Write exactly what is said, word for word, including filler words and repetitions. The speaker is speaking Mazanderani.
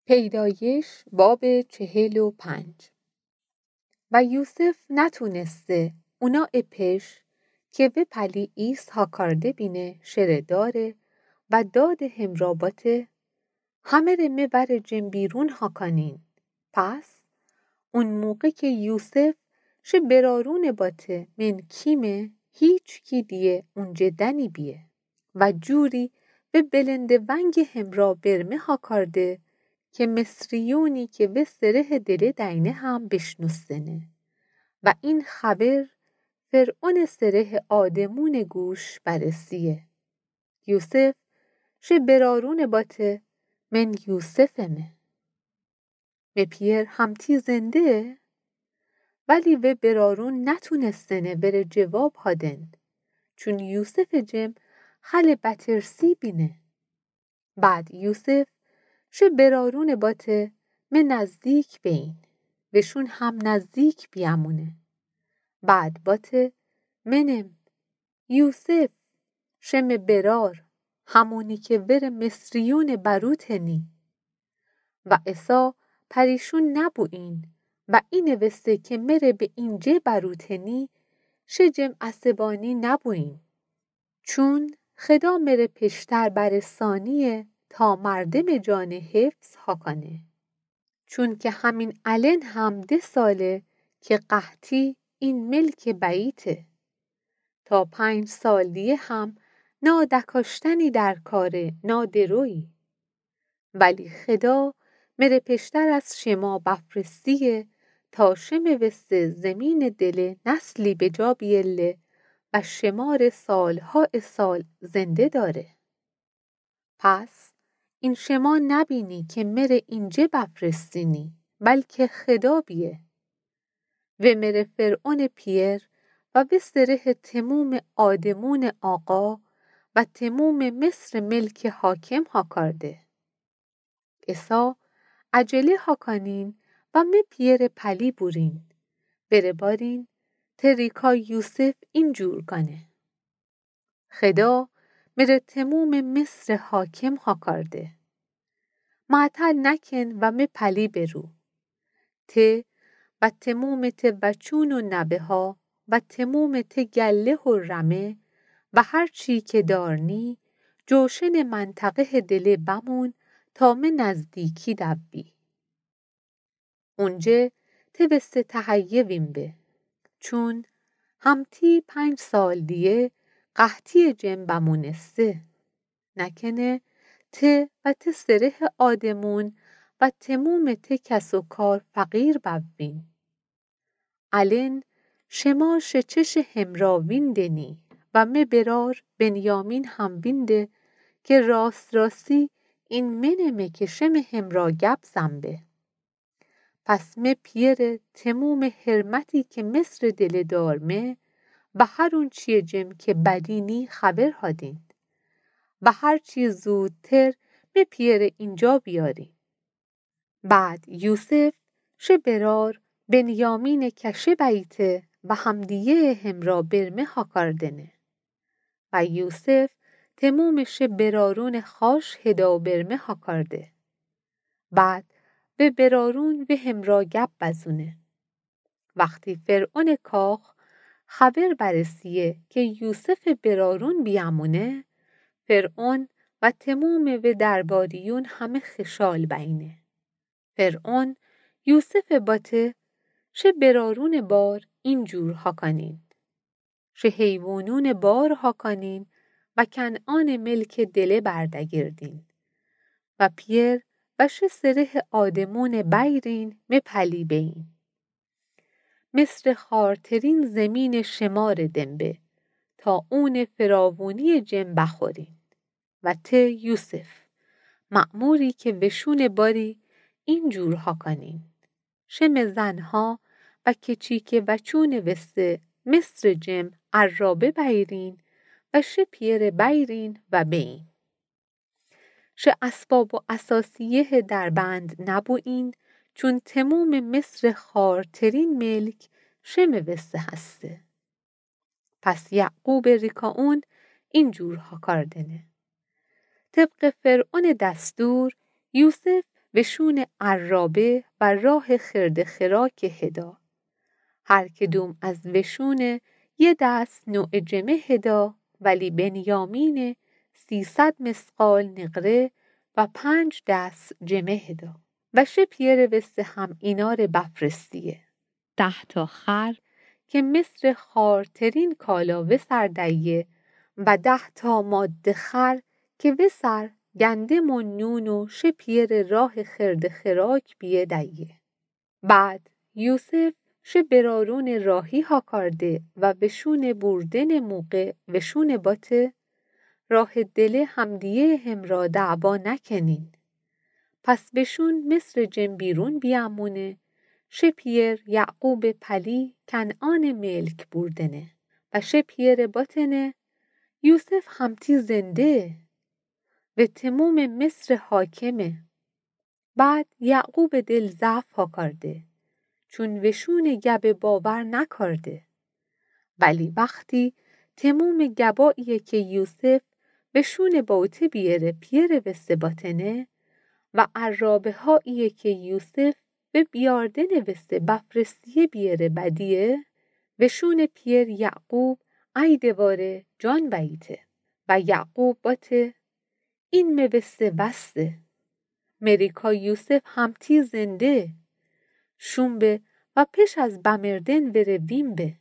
پیدایش باب چهل و پنج. و یوسف نتونسته اونا پیش که به پلی ایس ها کرده بینه شره داره و داد همرا باته، همه ره می بر جم بیرون ها کانین. پس اون موقع که یوسف شه برارون باته من کیمه، هیچکی دیه اونجه دنی بیه. و جوری به بلند ونگ همرا برمه ها کرده که مصریونی که به سره دله دینه هم بشنوستنه. و این خبر فرعون سره آدمون گوش برسیه. یوسف شه برارون باته من یوسفمه. می پیر همتی زنده؟ ولی وی برارون نتونستنه وره جواب هادن، چون یوسف جم خل بترسی بینه. بعد یوسف شه برارون باته می نزدیک بین، وشون هم نزدیک بیامونه. بعد باته منم یوسف، شه می برار، همونی که وره مصریون بروتنی. و عیسی پریشون نبوین و اینه وسته که مره به اینجه بروتنی، شه جم عصبانی نبوین. چون خدا مره پیشتر برسانیه تا مردم جان حفظ ها کانه. چون که همین الن هم ده ساله که قحطی این ملک بیته. تا پنج سال دیه هم نا دکاشتنی در کاره نا درویی. ولی خدا مره پیشتر از شما بفرستیه تا شمه وسته زمین دله نسلی به جا بیله و شماره سالها سال زنده داره. پس این شما نبینی که مره اینجه بفرستینی، بلکه خدا بیه. و مره فرعون پیر و به سره تموم آدمون آقا و تموم مصر ملک حاکم ها کرده. عیسی عجله ها کانین و می پیر پلی بورین. وره بارین ته ریکا یوسف این جور گانه. خدا مره تموم مصر حاکم ها کرده. معطل نکن و می پلی برو. ته و تموم ته وچون و نوه ها و تموم ته گله و رمه و هر چی که دارنی، جوشن منطقه دله بمون تا می نزدیکی دوی. اونجه ته وسته تهیه وین به. چون همتی پنج سال دیه قحطی جم بمونسته. نکنه ته و ته سره آدمون و تموم ته کس و کار فقیر بوین. الن شما شه چش همرا ویندنی و می برار بنیامین هم وینده که راست راستی این منمه که شم همرا گپ زن به. پس می پیر تموم حرمتی که مصر دله دارمه و هر اون چیه جم که بدینی خبر هادین و هر چی زودتر می پیر اینجا بیارین. بعد یوسف شه برار بنیامین کشه بیته و همدیه همرا برمه ها کردنه. و یوسف تموم شه برارون خاش هدا برمه ها کرده. بعد و برارون و همرا گپ بزونه. وقتی فرعون کاخ خبر برسیه که یوسف برارون بیامونه، فرعون و تموم و درباریون همه خشال بینه. فرعون یوسف باته شه برارون بار این جور ها کانین. شه حیوانون بار ها کانین و کنعان ملک دله بردگردین. و پیر و شه سره آدمون بیرین می پلی بین. مصر خارترین زمین شمار دم به تا اون فراوونی جم بخورین. و ته یوسف، مأموری که وشون باری این جور ها کانین. شم زنها و کچی که وچون وسته مصر جم عرابه بیرین و شه پیر بیرین و بین. شه اسباب و اثاثیه دربند نبوین، چون تموم مصر خارترین ملک شم وسته هسته. پس یعقوب ریکا اون این جور ها کردنه. طبق فرعون دستور یوسف وشون عرابه و راه خرد خراک هدا. هر کدوم از وشون یه دست نوع جمه هدا، ولی بنیامین سیصد مثقال نقره و پنج دست جمه هدا. و شه پییر وسه هم اینا ره بفرستیه: ده تا خر که مثل خوارترین کالا وسر دیه و ده تا ماده خر که وسر گندم و نون و شه پییر راه خرد خراک بیه دیه. بعد یوسف شه برارون راهی هاکارده و وشون بوردن موقع وشون باته: راه دله همدیه همرا دعوا نکنین. پس وشون مصر جن بیرون بیامونه، شه پییر یعقوب پلی کنعان ملک بوردنه و شه پییر باتنه: یوسف همتی زنده و تموم مصر حاکمه. بعد یعقوب دل ضعف هاکارده، چون وشون گبه باور نکارده. ولی وختی تموم گباییه که یوسف وشون باته بیاره پییر وسه باتنه و عرابه‌هاییه که یوسف و بیاردن وسه بفرستیه بیاره بدیه، وشون پییر یعقوب ای دواره جان بییته و یعقوب باته: این مه وسه وسته. مریکا یوسف همتی زنده. شوم به و پش از بمردن وره ویم به.